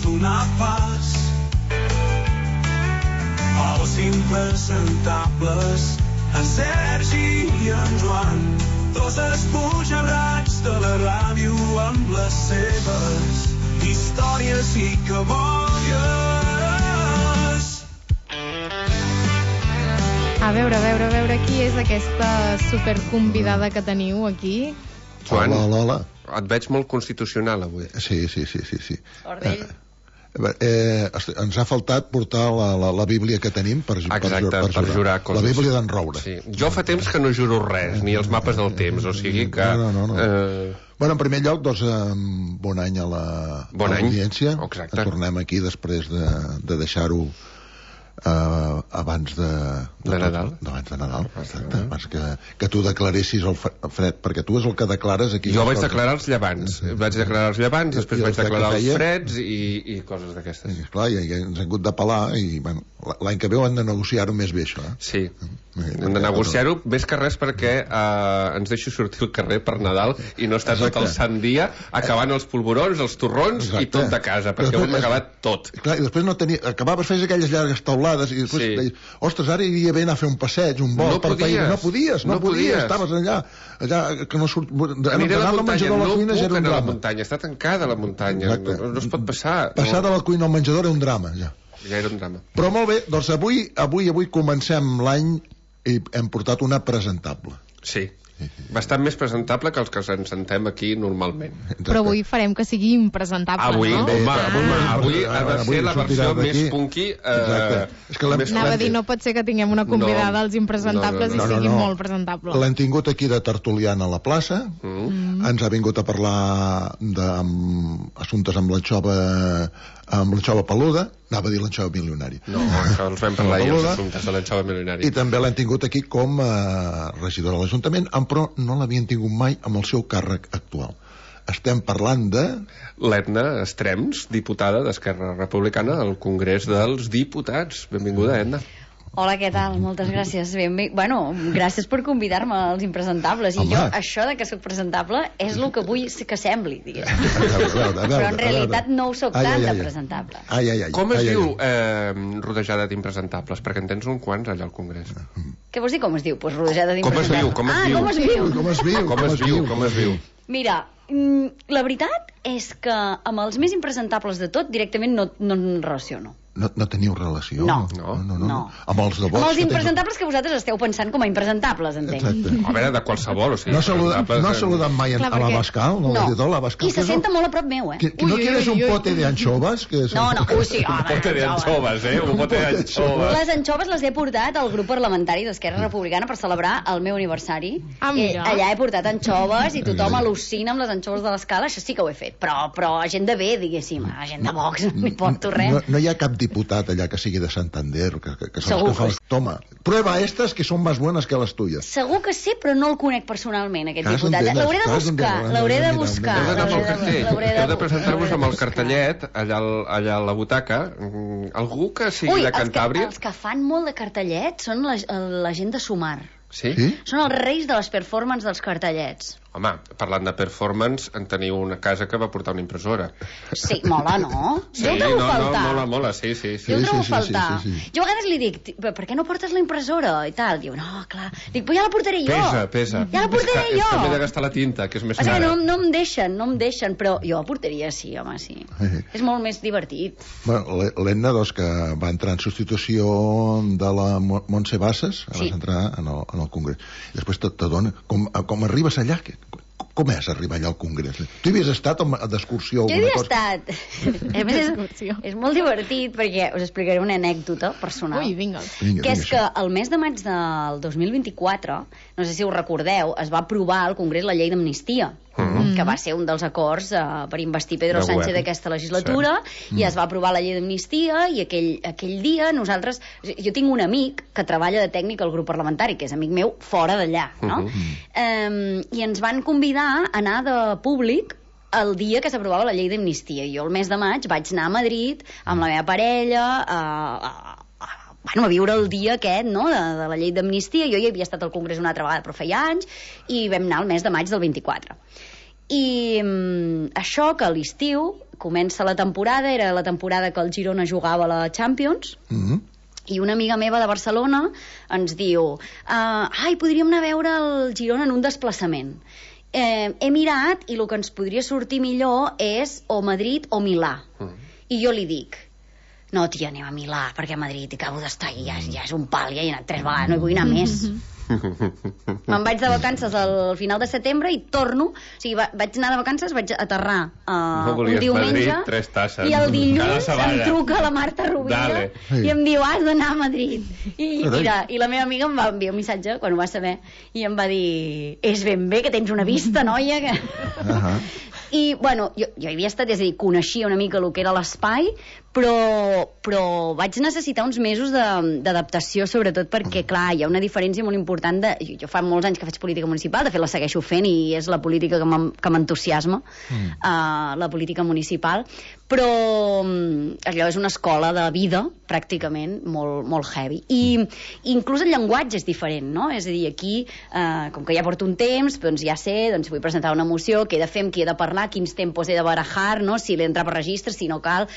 donar pas als impresentables, en Sergi i en Joan, dos esbojarrats de la ràdio amb les seves històries i cabòries. A veure, qui és aquesta superconvidada que teniu aquí? Joan, hola. Et veig molt constitucional avui. Sí. Ordell. Ens ha faltat portar la Bíblia que tenim per jurar coses. La Bíblia d'en Roure. Sí. Jo fa temps que no juro res, ni els mapes del temps, o sigui que... No. Bueno, en primer lloc, doncs, bon any a l'audiència. Exacte. Tornem aquí després de deixar-ho abans de Nadal. Abans de Nadal, exacte. Abans que tu declaressis el fred, perquè tu és el que declares aquí. Jo vaig declarar els llevants. Després vaig declarar els freds i coses d'aquestes. I esclar, ja ens hem hagut de pelar i, bueno, l'any que ve hem de negociar-ho més bé, això. Sí. Hem de negociar-ho més que res perquè ens deixi sortir al carrer per Nadal i no estar tot el sant dia acabant els polvorons, els torrons i tot de casa, perquè ho hem acabat tot. Clar, i després acabaves, feies aquelles llargues taulades i després deies, ostres, ara iria bé anar a fer un passeig, un vol per país. No podies, estaves allà que no surt... Aniré a la muntanya, no puc anar a la muntanya, està tancada la muntanya, no es pot passar. Passar de la cuina al menjador era un drama, ja. Ja era un drama. Però molt bé, doncs avui comencem l'any i hem portat una presentable. Sí. Bastant més presentable que els que ens sentem aquí normalment. Però avui farem que sigui impresentable, no? Avui ha de ser la versió més punky. Anava a dir, no pot ser que tinguem una convidada als impresentables i sigui molt presentable. L'hem tingut aquí de tertuliana a la plaça, ens ha vingut a parlar d'assumptes amb l'anxova peluda, anava a dir l'anxova milionari. No, això els vam parlar ahir, els assumptes de l'anxova milionari. I també l'hem tingut aquí com a regidora de l'Ajuntament, però no l'havien tingut mai amb el seu càrrec actual. Estem parlant de... l'Edna Estrems, diputada d'Esquerra Republicana al Congrés dels Diputats. Benvinguda, Edna. Hola, què tal? Moltes gràcies. Bueno, gràcies per convidar-me als impresentables. I jo, això de que soc presentable és el que vull que sembli, diguéssim. Però en realitat no ho soc tant de presentable. Com es diu rodejada d'impresentables? Perquè en tens uns quants allà al Congrés. Què vols dir com es diu? Pues rodejada d'impresentables. Com es diu? Mira, la veritat és que amb els més impresentables de tot directament no em relaciono. No teniu relació? No. Amb els de vots? Amb els impresentables que vosaltres esteu pensant com a impresentables, entenc. A veure, de qualsevol, o sigui... No ha saludat mai a l'Abascal? No. I se senta molt a prop meu, eh? ¿No quieres un pote de anchoves? No, sí, un pote de anchoves, un pote d'anchoves. Les anchoves les he portat al grup parlamentari d'Esquerra Republicana per celebrar el meu aniversari. Allà he portat anchoves i tothom al·lucina amb les anchoves de l'Escala, això sí que ho he fet. Però a gent de bé, diguéssim, a gent de Vox, no m'hi porto res. No hi ha cap diputat allà que sigui de Santander que són els que fan... Toma, prueba estas que són més bones que les tuyes. Segur que sí, però no el conec personalment, aquest diputat. L'hauré de buscar. Heu de presentar-vos amb el cartellet allà a la butaca. Algú que sigui de Cantàbria? Els que fan molt de cartellet són la gent de Sumar. Sí? Són els reis de les performances dels cartellets. Home, parlant de performance, en teniu una casa que va portar una impressora. Sí, mola, no? Sí, jo ho trobo faltar. Mola, sí. Jo ho trobo faltar. Jo a vegades li dic, per què no portes la impressora? I tal. Diu, no, clar. Dic, però ja la portaré jo. Pesa. Ja la portaré jo. És que m'he de gastar la tinta, que és més cara. No em deixen, però jo la portaria, sí, home, sí. És molt més divertit. L'Edna, doncs, que va entrar en substitució de la Montse Bassas, vas entrar en el Congrés. I després t'adona, com arribes allà, com és arribar allà al Congrés? Tu hi havies estat d'excursió? Jo hi havia estat. A més, és molt divertit perquè us explicaré una anècdota personal. Ui, vinga. Que és que el mes de maig del 2024, no sé si ho recordeu, es va aprovar al Congrés la llei d'amnistia, que va ser un dels acords per investir Pedro Sánchez d'aquesta legislatura, i es va aprovar la llei d'amnistia, i aquell dia nosaltres... Jo tinc un amic que treballa de tècnic al grup parlamentari, que és amic meu fora d'allà, no? I ens van convidar a anar de públic el dia que s'aprovava la llei d'amnistia. Jo el mes de maig vaig anar a Madrid amb la meva parella a viure el dia aquest, no?, de la llei d'amnistia. Jo hi havia estat al Congrés una altra vegada, però feia anys, i vam anar el mes de maig del 24. I això, que a l'estiu, comença la temporada, era la temporada que el Girona jugava a la Champions, i una amiga meva de Barcelona ens diu podríem anar a veure el Girona en un desplaçament. He mirat i el que ens podria sortir millor és o Madrid o Milà. I jo li dic, no, tia, anem a Milà, perquè a Madrid acabo d'estar i ja és un pal, ja he anat 3 vegades, no hi vull anar més. Me'n vaig de vacances al final de setembre i torno, o sigui, vaig anar de vacances, vaig aterrar un diumenge Madrid, 3 tasses. I el dilluns em truca la Marta Rovira i em diu, has d'anar a Madrid. I mira, i la meva amiga em va enviar un missatge quan ho va saber i em va dir, és ben bé que tens una vista, noia, que... I, bueno, jo hi havia estat, és a dir, coneixia una mica el que era l'espai, però vaig necessitar uns mesos d'adaptació, sobretot perquè, clar, hi ha una diferència molt important jo fa molts anys que faig política municipal, de fet la segueixo fent i és la política que m'entusiasma, la política municipal, però allò és una escola de vida, pràcticament, molt heavy. I inclús el llenguatge és diferent, no? És a dir, aquí, com que ja porto un temps, doncs ja sé, doncs vull presentar una moció, què he de fer, amb qui he de parlar, quins tempos he de barajar, no? Si l'he d'entrar per registre, si no cal,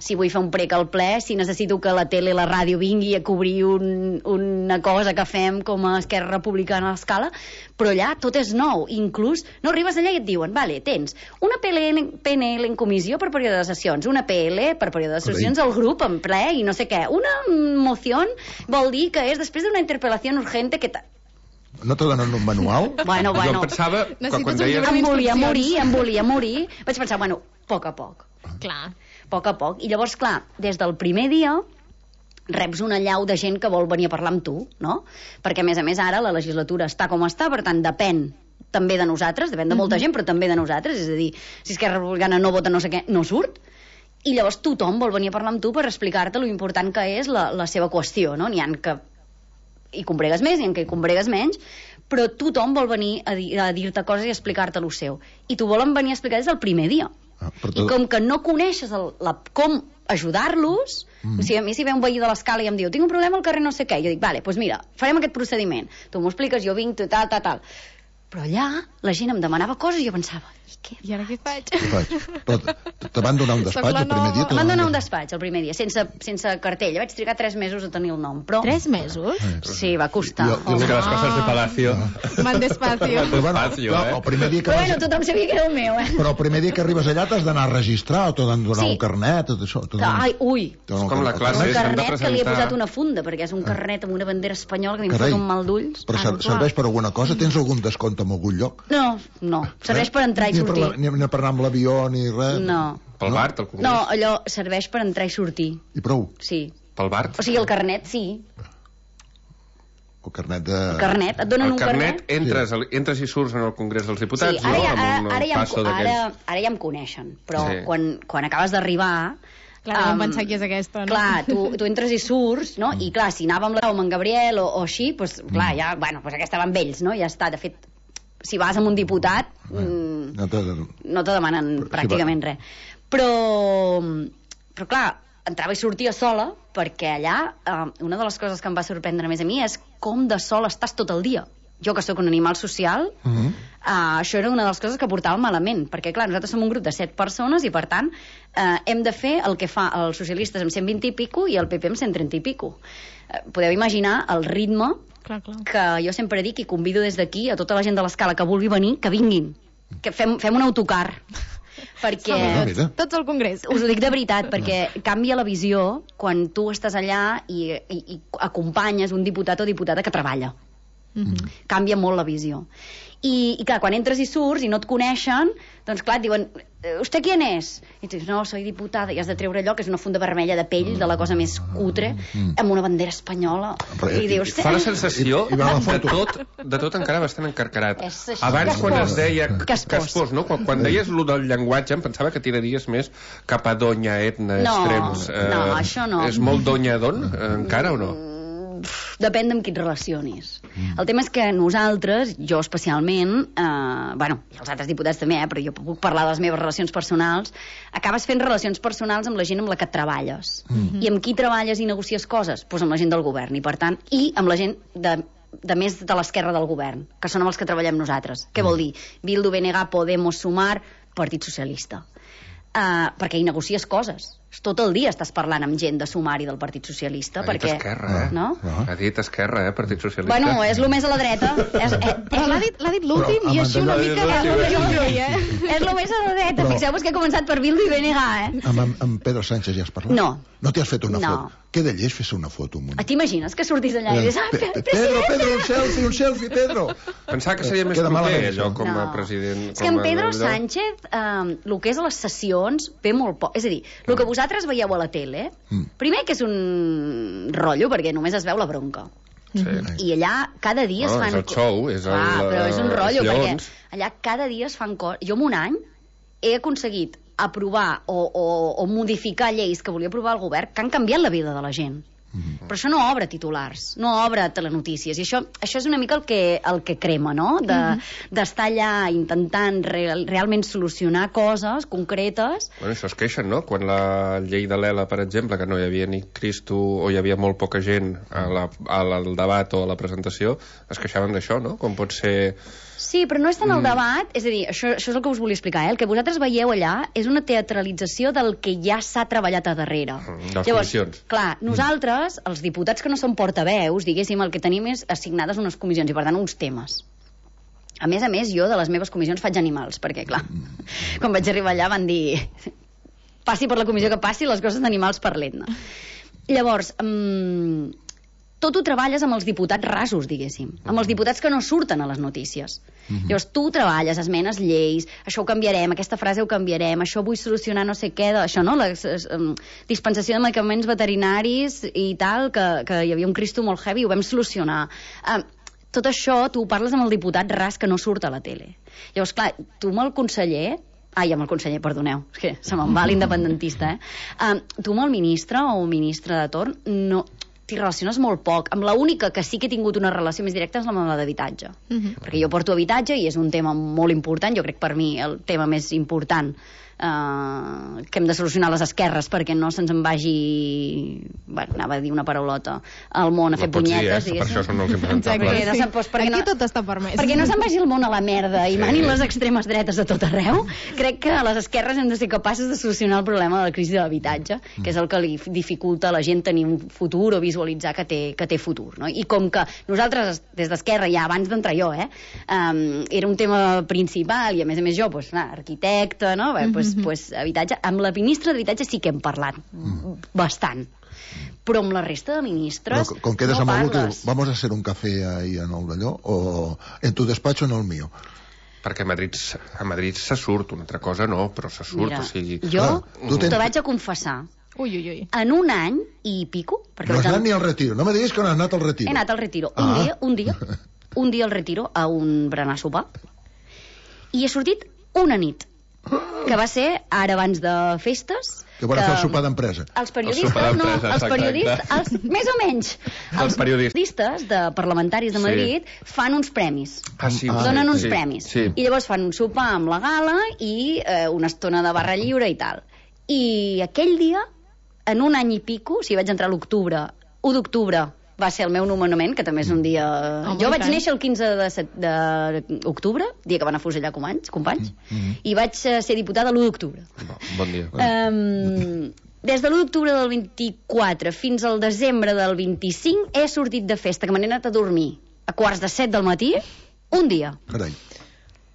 si vull fer un prec al ple, si necessito que la tele i la ràdio vingui a cobrir una cosa que fem com a Esquerra Republicana a l'escala, però allà tot és nou. Inclús no arribes allà i et diuen, vale, tens una PNL en comissió per període de sessions, una PL per període de sessions al grup en ple i no sé què. Una moció vol dir que és després d'una interpel·lació urgente que... No t'ho donen un manual? Bueno. Jo pensava que quan deies... Em volia morir. Vaig pensar, bueno, a poc a poc. Clar. A poc a poc. I llavors, clar, des del primer dia reps una allau de gent que vol venir a parlar amb tu, no? Perquè, a més, ara la legislatura està com està, per tant, depèn també de nosaltres, depèn de molta gent, però també de nosaltres, és a dir, si Esquerra Republicana no vota no sé què, no surt, i llavors tothom vol venir a parlar amb tu per explicar-te lo important que és la seva qüestió, no? N'hi ha que hi combregues més, n'hi ha que hi combregues menys, però tothom vol venir a dir-te coses i explicar-te lo seu. I t'ho volen venir a explicar des del primer dia. I com que no coneixes com ajudar-los, o sigui, a mi si ve un veí de l'escala i em diu, tinc un problema al carrer no sé què, jo dic, vale, doncs mira, farem aquest procediment, tu m'ho expliques, jo vinc, tal. Però allà la gent em demanava coses i jo pensava, I ara què faig? Però te van donar un despatx el primer dia? Em van donar un despatx el primer dia, sense cartell. Vaig trigar 3 mesos a tenir el nom, però... 3 mesos? Sí, va costar. És que les coses de Palacio... Van despacio. El primer dia que però bueno, tothom sabia que era el meu, Però el primer dia que arribes allà t'has d'anar a registrar o t'han de donar un carnet, tot això. És com la classe, un carnet que li he posat una funda, perquè és un carnet amb una bandera espanyola que li fot un mal d'ulls. Però serveix per alguna cosa? Tens algun descompte en algun lloc? No. Serveix per entrar i sortir. Ni per anar amb l'avió ni res? No. Pel BART, el Congrés? No, allò serveix per entrar i sortir. I prou? Sí. Pel BART? O sigui, el carnet, sí. El carnet de... El carnet, et donen un carnet. Entres i surts en el Congrés dels Diputats, sí, ara ja em coneixen, però quan acabes d'arribar... Clar, vam pensar qui és aquesta, no? Clar, tu entres i surts, no? I clar, si anava amb en Gabriel o així, doncs clar, ja, bueno, doncs aquesta va amb ells, no? Ja està, de fet, si vas amb un diputat no te demanen pràcticament res. Però clar, entrava i sortia sola perquè allà una de les coses que em va sorprendre més a mi és com de sol estàs tot el dia. Jo, que sóc un animal social, això era una de les coses que portava malament, perquè, clar, nosaltres som un grup de 7 persones i, per tant, hem de fer el que fa els socialistes amb 120 i pico i el PP amb 130 i pico. Podeu imaginar el ritme que jo sempre dic i convido des d'aquí a tota la gent de l'escala que vulgui venir, que vinguin, que fem un autocar. Perquè tots al Congrés. Us ho dic de veritat, perquè canvia la visió quan tu estàs allà i acompanyes un diputat o diputada que treballa. Canvia molt la visió. I clar, quan entres i surts i no et coneixen, doncs clar, et diuen, ¿usted quién es? I tu dius, no, soy diputada, i has de treure allò que és una funda vermella de pell, de la cosa més cutre, amb una bandera espanyola, i dius... Fa la sensació de tot encara bastant encarcarat. Abans, quan es deia caspós, no? Quan deies lo del llenguatge, em pensava que tiraries més cap a donya, etna, extrems. No, això no. És molt donya don, encara o no? Depèn d'amb qui et relacionis. El tema és que nosaltres, jo especialment, bueno, i els altres diputats també, però jo puc parlar de les meves relacions personals, acabes fent relacions personals amb la gent amb la que treballes. I amb qui treballes i negocies coses? Doncs amb la gent del govern, i per tant, i amb la gent de més de l'esquerra del govern, que són amb els que treballem nosaltres. Què vol dir? Bildu, BNG, Podemos, Sumar, Partit Socialista. perquè hi negocies coses. Tot el dia estàs parlant amb gent de sumari del Partit Socialista. Ha dit Esquerra, no? Ha dit Esquerra, Partit Socialista. Bueno, és el més a la dreta. Però l'ha dit l'últim i així una mica... És el més a la dreta. Fixeu-vos que he començat per Bildu i BNG, Amb Pedro Sánchez ja has parlat? No. No t'hi has fet una foto? Què de lleig fer-se una foto amb un... T'imagines que sortís allà i dius... Pedro, un selfie, Pedro! Pensava que seria més proper, allò, com a president... És que en Pedro Sánchez, el que és a les sessions, ve molt poc. És a dir, el que vosaltres veieu a la tele, primer que és un rotllo, perquè només es veu la bronca. Sí. I allà cada dia es fan... És el show, és el... però és un rotllo, perquè allà cada dia es fan coses... Jo en un any he aconseguit aprovar o modificar lleis que volia aprovar el govern que han canviat la vida de la gent. Però això no obre titulars, no obre telenotícies, i això és una mica el que crema, no? D'estar allà intentant realment solucionar coses concretes. Bueno, això es queixen, no? Quan la llei de l'ELA, per exemple, que no hi havia ni Cristo o hi havia molt poca gent al debat o a la presentació, es queixaven d'això, no? Com pot ser... Sí, però no és tant el debat, és a dir, això és el que us volia explicar, el que vosaltres veieu allà és una teatralització del que ja s'ha treballat a darrere. De les comissions. Clar, nosaltres, els diputats que no som portaveus, diguéssim, el que tenim és assignades unes comissions i, per tant, uns temes. A més, jo de les meves comissions faig animals, perquè, clar, quan vaig arribar allà van dir passi per la comissió que passi, les coses d'animals parlem-ne. Llavors, tot ho treballes amb els diputats rasos, diguéssim, amb els diputats que no surten a les notícies. Llavors tu treballes, esmenes lleis, això ho canviarem, aquesta frase ho canviarem, això vull solucionar no sé què, això, no? La dispensació de medicaments veterinaris i tal, que hi havia un Cristo molt heavy, ho vam solucionar. Tot això tu ho parles amb el diputat ras que no surt a la tele. Llavors, clar, tu amb el conseller... amb el conseller, perdoneu, és que se me'n va l'independentista, tu amb el ministre o ministre de torn no... t'hi relaciones molt poc. Amb l'única que sí que he tingut una relació més directa és la meva d'habitatge. Perquè jo porto habitatge i és un tema molt important, jo crec per mi el tema més important que hem de solucionar les esquerres perquè no se'ns en vagi, bueno, anava a dir una paraulota, al món a fer punyetes, diguéssim. Per això són els impresentables. Aquí tot està permès. Perquè no se'n vagi el món a la merda i manin les extremes dretes a tot arreu. Crec que a les esquerres hem de ser capaces de solucionar el problema de la crisi de l'habitatge, que és el que li dificulta a la gent tenir un futur o visualitzar que té futur, no? I com que nosaltres, des d'Esquerra, ja abans d'entrar jo, era un tema principal i a més jo, arquitecte, no? Pues, habitatge. Amb la ministra d'habitatge sí que hem parlat bastant, però amb la resta de ministres con quedes no parles. Vamos a hacer un café ahí en el d'allò o en tu despacho o en el mío? Perquè a Madrid se surt, una altra cosa no, però se surt. Mira, o sigui... jo te vaig a confessar. Ui. En un any i pico... No has anat ni al retiro, no me diguis que no has anat al retiro. He anat al retiro. Un dia al retiro a un berenar sopar i he sortit una nit que va ser ara abans de festes que van fer el sopar d'empresa. Els periodistes, més o menys els periodistes parlamentaris de Madrid fan uns premis, donen uns premis i llavors fan un sopar amb la gala i una estona de barra lliure i tal, i aquell dia en un any i pico, si vaig entrar a l'octubre, 1 d'octubre va ser el meu nomenament, que també és un dia... Jo vaig néixer el 15 d'octubre, dia que van afusellar companys, i vaig ser diputada l'1 d'octubre. Bon dia. Des de l'1 d'octubre del 24 fins al desembre del 25 he sortit de festa, que me n'he anat a dormir a 6:45 del matí, un dia. Carai.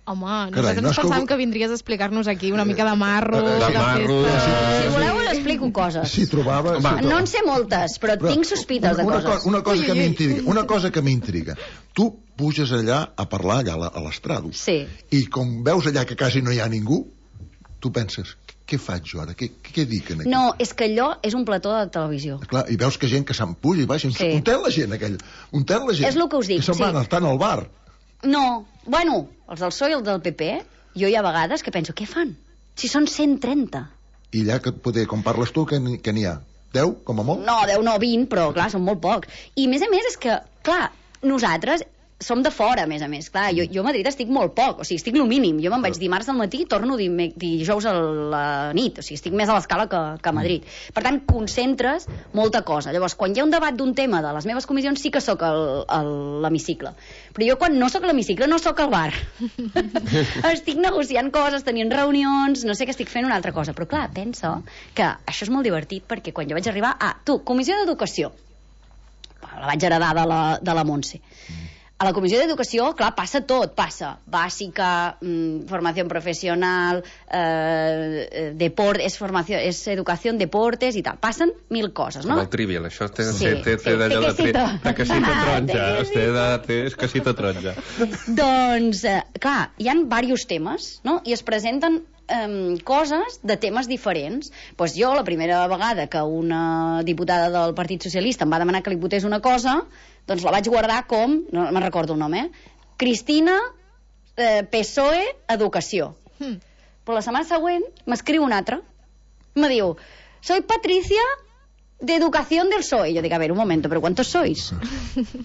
Home, nosaltres pensàvem que vindries a explicar-nos aquí una mica de marro, de festa... Si voleu us explico coses. Si trobava... No en sé moltes, però tinc sospites de coses. Una cosa que m'intriga. Tu puges allà a parlar allà a l'estrado. Sí. I com veus allà que quasi no hi ha ningú, tu penses, què faig jo ara? Què dic aquí? No, és que allò és un plató de televisió. Clar, i veus que gent que s'empuja i baixa. On té la gent, aquell? On té la gent? És el que us dic, que se'n van estar al bar. No, bueno, els del PSOE i els del PP, jo hi ha vegades que penso, què fan? Si són 130. I allà, com parles tu, que n'hi ha? 10, com a molt? No, 10 no, 20, però clar, són molt pocs. I a més és que, clar, nosaltres som de fora, a més. Clar, jo a Madrid estic molt poc, o sigui, estic el mínim. Jo me'n vaig dimarts al matí i torno dijous a la nit, o sigui, estic més a l'escala que a Madrid. Per tant, concentres molta cosa. Llavors, quan hi ha un debat d'un tema de les meves comissions, sí que sóc a l'hemicicle. Però jo, quan no sóc a l'hemicicle, no sóc al bar. Estic negociant coses, tenint reunions, no sé què estic fent, una altra cosa. Però, clar, pensa que això és molt divertit, perquè quan jo vaig arribar... Comissió d'Educació. La vaig heredar de la Montse. A la Comissió d'Educació, clar, passa tot. Passa bàsica, formació professional, és educació, deportes i tal. Passen 1000 coses, no? Com el trivial, això té d'allò de casita taronja. És casita taronja. Doncs, clar, hi ha diversos temes, no? I es presenten coses de temes diferents. Doncs jo, la primera vegada que una diputada del Partit Socialista em va demanar que li votés una cosa, doncs la vaig guardar com, no me'n recordo el nom, Cristina, PSOE, Educació. Però la setmana següent m'escriu una altra. Me diu, soy Patricia de Educación del PSOE. Yo digo, a ver, un momento, ¿pero cuántos sois?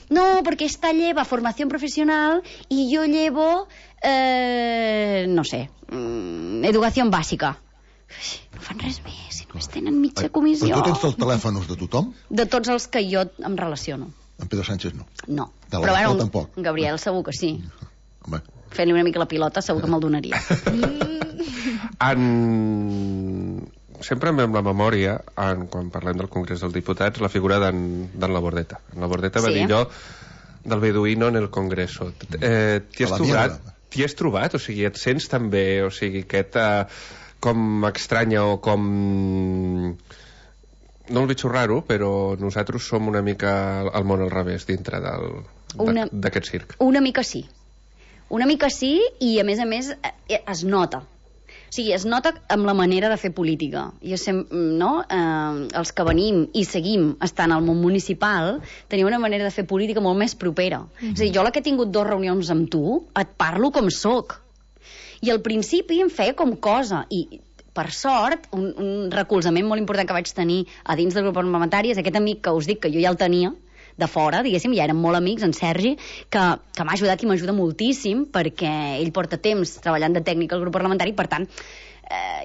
No, porque esta lleva formación profesional y yo llevo, no sé, educación bàsica. No fan res més, si només tenen mitja comissió. Però tu tens els telèfons de tothom? De tots els que jo em relaciono. En Pedro Sánchez no? No. De la Rajoy tampoc? En Gabriel segur que sí. Home. Fent-li una mica la pilota segur que me'l donaria. Sempre amb la memòria, quan parlem del Congrés dels Diputats, la figura d'en Labordeta. En Labordeta va dir allò del beduïno en el Congreso. T'hi has trobat? O sigui, et sents també, o sigui, aquest com estranya o com... No el veig raro, però nosaltres som una mica al món al revés dintre d'aquest circ. Una mica sí. Una mica sí, i a més es nota. O sigui, es nota amb la manera de fer política. Jo no? Els que venim i seguim estant al món municipal tenim una manera de fer política molt més propera. És a dir, jo la que he tingut 2 reunions amb tu, et parlo com soc. I al principi em feia com cosa, i per sort, un recolzament molt important que vaig tenir a dins del grup parlamentari és aquest amic que us dic que jo ja el tenia de fora, diguéssim, ja érem molt amics, en Sergi, que m'ha ajudat i m'ajuda moltíssim, perquè ell porta temps treballant de tècnic al grup parlamentari, per tant,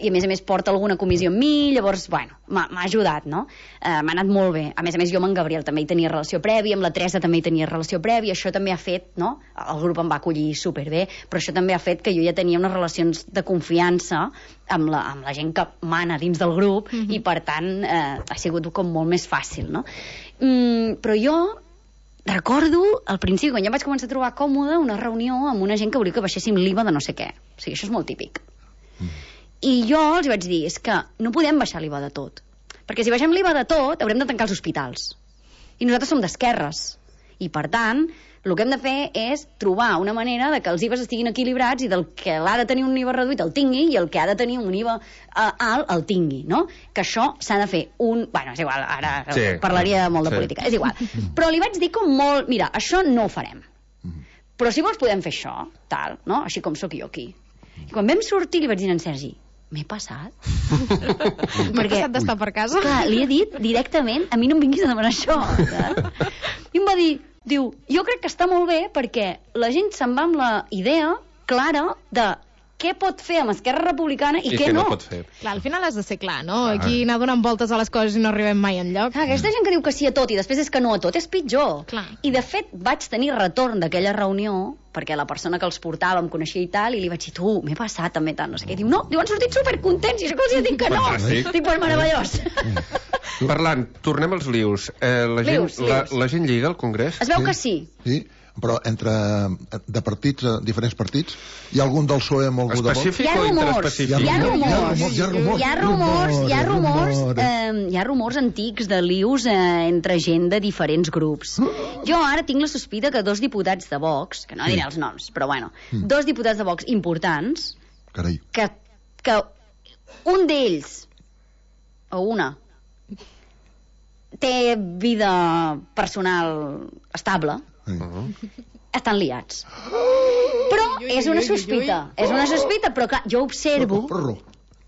i a més porta alguna comissió amb mi, llavors, bueno, m'ha ajudat, no? M'ha anat molt bé. A més, jo amb en Gabriel també hi tenia relació prèvia, amb la Teresa també hi tenia relació prèvia, això també ha fet, no? El grup em va acollir superbé, però això també ha fet que jo ja tenia unes relacions de confiança amb la gent que mana dins del grup, i per tant ha sigut com molt més fàcil, no? Però jo recordo al principi, quan ja vaig començar a trobar còmode, una reunió amb una gent que volia que baixéssim l'IVA de no sé què. O sigui, això és molt típic. I jo els vaig dir, és que no podem baixar l'IVA de tot, perquè si baixem l'IVA de tot haurem de tancar els hospitals, i nosaltres som d'esquerres, i per tant el que hem de fer és trobar una manera de que els IVAs estiguin equilibrats i del que l'ha de tenir un IVA reduït el tingui i el que ha de tenir un IVA alt el tingui, no? Que això s'ha de fer bueno, és igual, ara parlaria molt de política, és igual, però li vaig dir com molt, mira, això no ho farem, però si vols podem fer això, tal, no? Així com sóc jo aquí. I quan vam sortir li vaig dir a en Sergi, m'he passat? M'he passat d'estar per casa? Clar, li he dit directament, a mi no em vinguis a demanar això. I em va dir, diu, jo crec que està molt bé perquè la gent se'n va amb la idea clara de què pot fer amb Esquerra Republicana i què no. Pot fer. Clar, al final has de ser clar, no? Aquí anar donant voltes a les coses i no arribem mai enlloc. Aquesta gent que diu que sí a tot i després és que no a tot és pitjor. Clar. I de fet vaig tenir retorn d'aquella reunió perquè la persona que els portava em coneixia i tal, i li vaig dir, tu, m'he passat també tant, no sé què. Diu, no, han sortit supercontents, i això que els he dit que no. Dic, pues meravellós. Parlant, tornem als lius. La gent lliga al Congrés? Es veu que sí. Sí, però de partits, diferents partits, hi ha algun del PSOE amb algú de Vox? Específic o interespecífic? Hi ha rumors antics de lius entre gent de diferents grups. Jo ara tinc la sospita que 2 diputats de Vox, que no diré els noms, però bueno, 2 diputats de Vox importants, que un d'ells, o una, té vida personal estable, estan liats. Però és una sospita, però clar, jo observo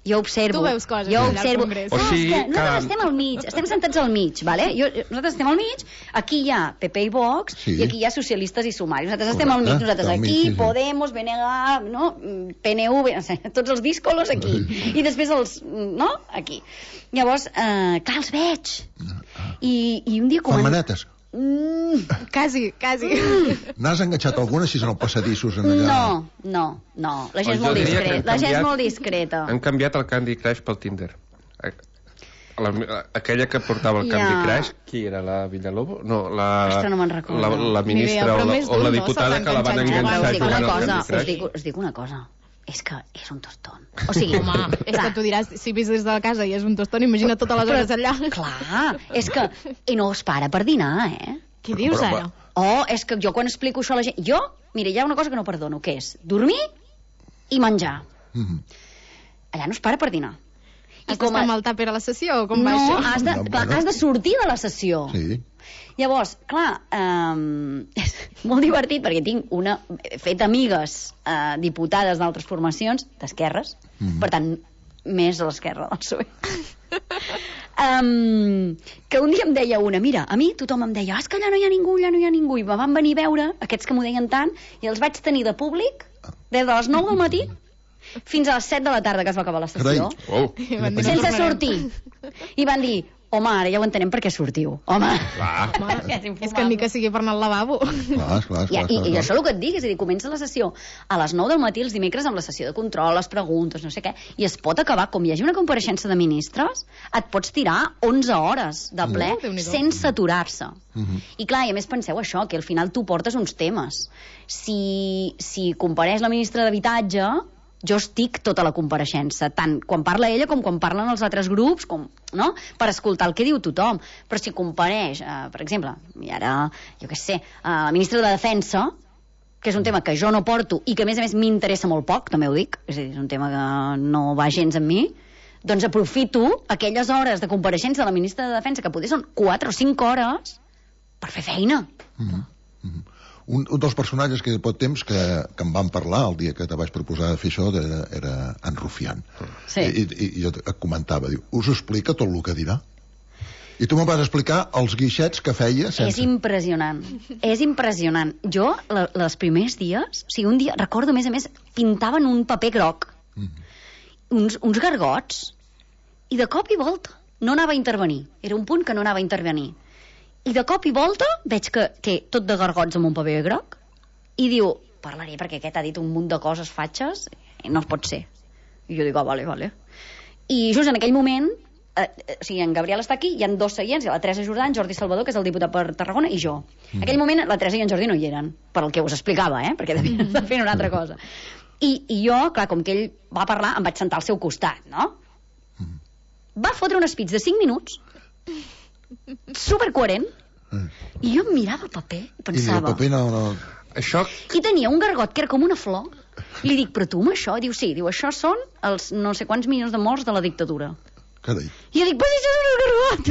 Jo observo. Tu veus coses jo allà observo. al Congrés. O sigui, nosaltres estem al mig, estem sentats al mig, vale? Nosaltres estem al mig, aquí hi ha PP i Vox, i aquí hi ha socialistes i sumaris. Nosaltres estem al mig, nosaltres aquí, Podemos, BNG, no? PNV, no sé, tots els díscolos aquí. I després els, no? Aquí. Llavors, clar, els veig. I un dia... Fan manetes? Quasi. N'has enganxat alguna si són els passadissos en allà? No. La gent és molt discreta. La gent és molt discreta. Han canviat el Candy Crush pel Tinder. Aquella que portava el Candy Crush, qui era? La Villalobos? No, Ostres, no me'n recordo. La ministra o la diputada que la van enganxar jugant al Candy Crush. Us dic una cosa. És que és un tostón. O sigui, home, és que tu diràs, si vis des de casa i és un tostón, imagina totes les hores allà. Clar, és que... I no es para per dinar, Què dius, ara? És que jo quan explico això a la gent... Mira, hi ha una cosa que no perdono, que és dormir i menjar. Allà no es para per dinar. Has d'estar amb el tàper a la sessió o com va això? No, has de sortir de la sessió. Sí. Llavors, clar, és molt divertit perquè he fet amigues diputades d'altres formacions d'esquerres, per tant, més a l'esquerra del PSOE. Que un dia em deia una, mira, a mi tothom em deia, és que allà no hi ha ningú, i me van venir a veure, aquests que m'ho deien tant, i els vaig tenir de públic des de les 9 del matí fins a les 7 de la tarda que es va acabar la sessió. Sense sortir. I van dir, home, ara ja ho entenem per què sortiu. Home, és que ni que sigui per anar al lavabo. Clar. I això és el que et dic, és a dir, comença la sessió a les 9 del matí els dimecres amb la sessió de control, les preguntes, no sé què, i es pot acabar, com hi hagi una compareixença de ministres, et pots tirar 11 hores de ple sense aturar-se. I clar, i a més penseu això, que al final tu portes uns temes. Si compareix la ministra d'Habitatge, jo estic tota la compareixença, tant quan parla ella com quan parlen els altres grups, no? Per escoltar el que diu tothom. Però si compareix, per exemple, i ara, jo què sé, la ministra de Defensa, que és un tema que jo no porto i que a més m'interessa molt poc, també ho dic, és a dir, és un tema que no va gens amb mi, doncs aprofito aquelles hores de compareixença de la ministra de Defensa, que potser són 4 o 5 hores, per fer feina. Un dels personatges que pot temps que em van parlar el dia que te vaig proposar de fer això era en Rufián. Sí. I jo et comentava, diu, us explica tot el que dirà? I tu me'n vas explicar els guixets que feia sense... És impressionant. Jo, els primers dies, o sigui, un dia, recordo, a més, pintaven un paper groc, uns gargots, i de cop i volta no anava a intervenir. Era un punt que no anava a intervenir. I de cop i volta veig que té tot de gargots amb un paper groc i diu, parlaré perquè aquest ha dit un munt de coses fatxes i no pot ser. I jo dic, vale. I just en aquell moment, o sigui, en Gabriel està aquí, hi ha 2 seients, hi ha la Teresa Jordà, en Jordi Salvador, que és el diputat per Tarragona, i jo. En aquell moment la Teresa i en Jordi no hi eren, per el que us explicava, perquè devien estar fent una altra cosa. I jo, clar, com que ell va parlar, em vaig sentar al seu costat, no? Va fotre un speech de 5 minuts supercoherent, i jo em mirava el paper i pensava... I el paper no... Això... I tenia un gargot que era com una flor. Li dic, però tu amb això? Diu, sí, diu, això són els no sé quants milions de morts de la dictadura. Carai. I jo dic, però això és un gargot!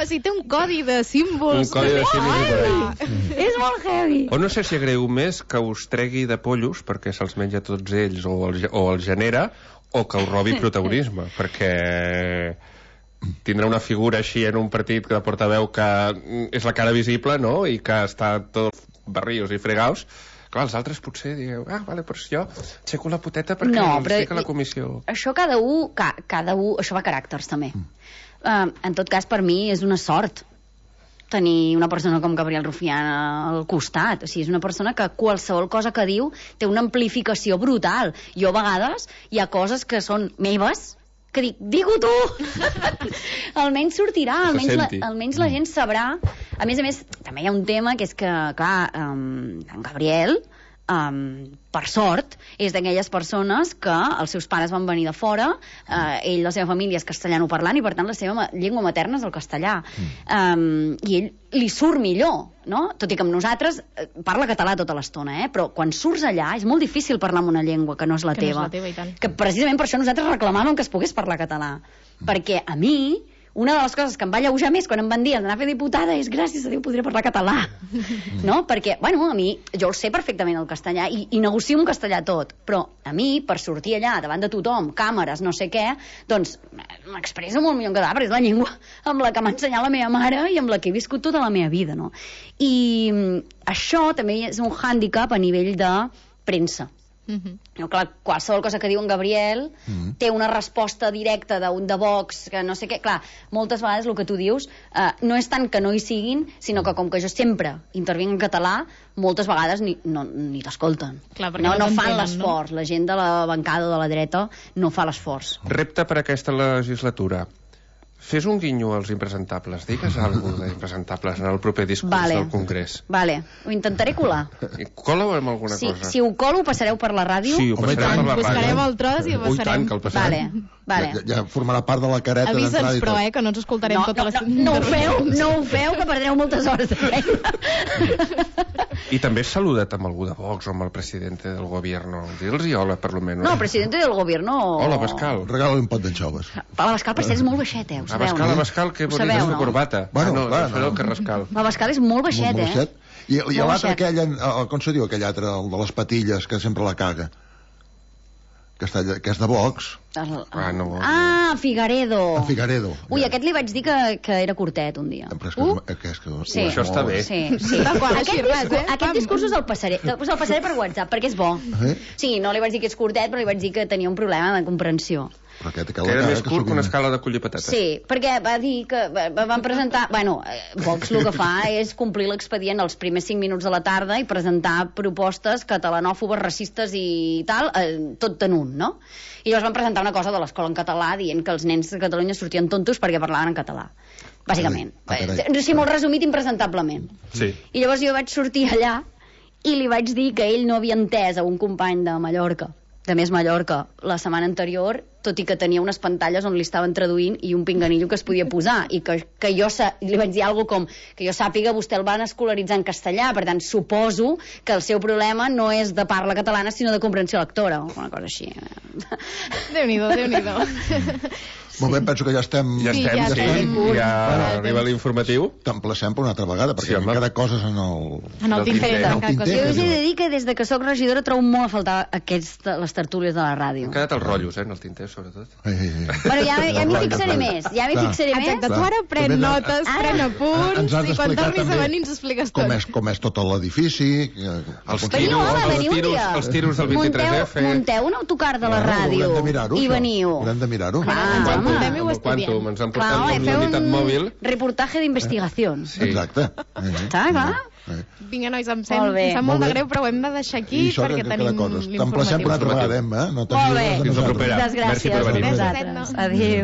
O sigui, té un codi de símbols. Un codi de símbols. És molt heavy. O no sé si agreu més que us tregui de pollos perquè se'ls menja tots ells o els genera, o que us robi protagonisme, perquè... tindrà una figura així en un partit de portaveu que és la cara visible, no?, i que està tot barrios i fregaus. Clar, els altres potser digueu, vale, però jo aixeco la poteta perquè estic a la comissió. Això cada un, això va a caràcters també. En tot cas, per mi és una sort tenir una persona com Gabriel Rufián al costat. O sigui, és una persona que qualsevol cosa que diu té una amplificació brutal. Jo a vegades hi ha coses que són meves que dic, digue-ho tu! Almenys sortirà, almenys la gent sabrà. A més, també hi ha un tema que és que, clar, en Gabriel, per sort, és d'aquelles persones que els seus pares van venir de fora, ell, la seva família és castellanoparlant i per tant la seva llengua materna és el castellà. I ell li surt millor, no? Tot i que amb nosaltres parla català tota l'estona, però quan surts allà és molt difícil parlar amb una llengua que no és la teva. No és la teva, i tant. Que precisament per això nosaltres reclamàvem que es pogués parlar català. Perquè a mi, una de les coses que em va alleujar més quan em van dir d'anar a fer diputada és gràcies a Déu podré parlar català, no? Perquè, bueno, a mi, jo el sé perfectament el castellà i negocio en castellà tot, però a mi, per sortir allà davant de tothom, càmeres, no sé què, doncs m'expresso molt millor en català, perquè és la llengua amb la que m'ha ensenyat la meva mare i amb la que he viscut tota la meva vida, no? I això també és un hàndicap a nivell de premsa. No, clar, qualsevol cosa que diu en Gabriel té una resposta directa d'un de Vox, que no sé què, clar, moltes vegades el que tu dius no és tant que no hi siguin, sinó que com que jo sempre intervinc en català, moltes vegades ni t'escolten, no fan l'esforç, la gent de la bancada de la dreta no fa l'esforç. Repte per aquesta legislatura: fes un guinyo als impresentables, digues alguna cosa d'impresentables en el proper discurs del Congrés. Vale, ho intentaré colar. Cola-ho amb alguna cosa. Si ho colo, ho passareu per la ràdio? Sí, ho passarem per la ràdio. Buscarem el tros i ho passarem. Tant, que el passarem. Vale. Ja formarà part de la careta d'entrada i tot. Avisa'ns, però, que no ens escoltarem tota la... No ho feu, que perdreu moltes hores de feina. I també has saludat amb algú de Vox o amb el president del gobierno. Dils-hi hola, per lo menos. No, presidente del gobierno... Hola, Bascal. Regala-li un pot d'anxoves. L'Abascal, per cert, és molt baixet, ho sabeu, no? Abascal, que bonica és la corbata. Bueno, clar, no. El Carrascal. L'Abascal és molt baixet, I l'altre aquell, com se diu aquell altre, el de les patilles, que sempre la caga? Que és de Vox. Figueredo. En Figueredo. Ui, aquest li vaig dir que era curtet un dia. Sí. Això està bé. Sí. Aquest discurs el passaré per WhatsApp, perquè és bo. Sí, no li vaig dir que és curtet, però li vaig dir que tenia un problema de comprensió. Que era més curt que una escala de collir patates. Sí, perquè va dir que van presentar... Bueno, Vox el que fa és complir l'expedient els primers 5 minuts de la tarda i presentar propostes catalanòfobes, racistes i tal, tot en un, no? I llavors van presentar una cosa de l'escola en català dient que els nens de Catalunya sortien tontos perquè parlaven en català. Bàsicament. Sí, molt resumit, impresentablement. Sí. I llavors jo vaig sortir allà i li vaig dir que ell no havia entès a un company de Mallorca, de Més Mallorca, la setmana anterior, tot i que tenia unes pantalles on li estaven traduint i un pinganillo que es podia posar, i que jo li vaig dir alguna com que jo sàpiga, vostè el van escolaritzar en castellà, per tant suposo que el seu problema no és de parla catalana sinó de comprensió lectora, o una cosa així. Déu-n'hi-do. Molt bé, penso que ja estem... Ja arriba l'informatiu. T'emplacem per una altra vegada, perquè hem quedat coses en el tinter. Jo us he de dir que des que soc regidora trobo molt a faltar les tertúlies de la ràdio. Han quedat els rotllos, en el tinter, sobretot. Però ja m'hi fixaré més. Exacte, tu ara pren notes, pren apunts, i quan tornis a venir ens expliques tot. Com és tot l'edifici... Els tiros del 23F... Munteu un autocar de la ràdio i veniu. Haurem de mirar-ho. Quantum, ens han portat amb la unitat mòbil. Reportatge d'investigació. Exacte. Està, clar. Vinga, nois, em sap molt de greu, però ho hem de deixar aquí perquè tenim l'informatiu. T'emplacem per una altra vegada, Molt bé. Fins la propera. Gràcies per venir. Adéu.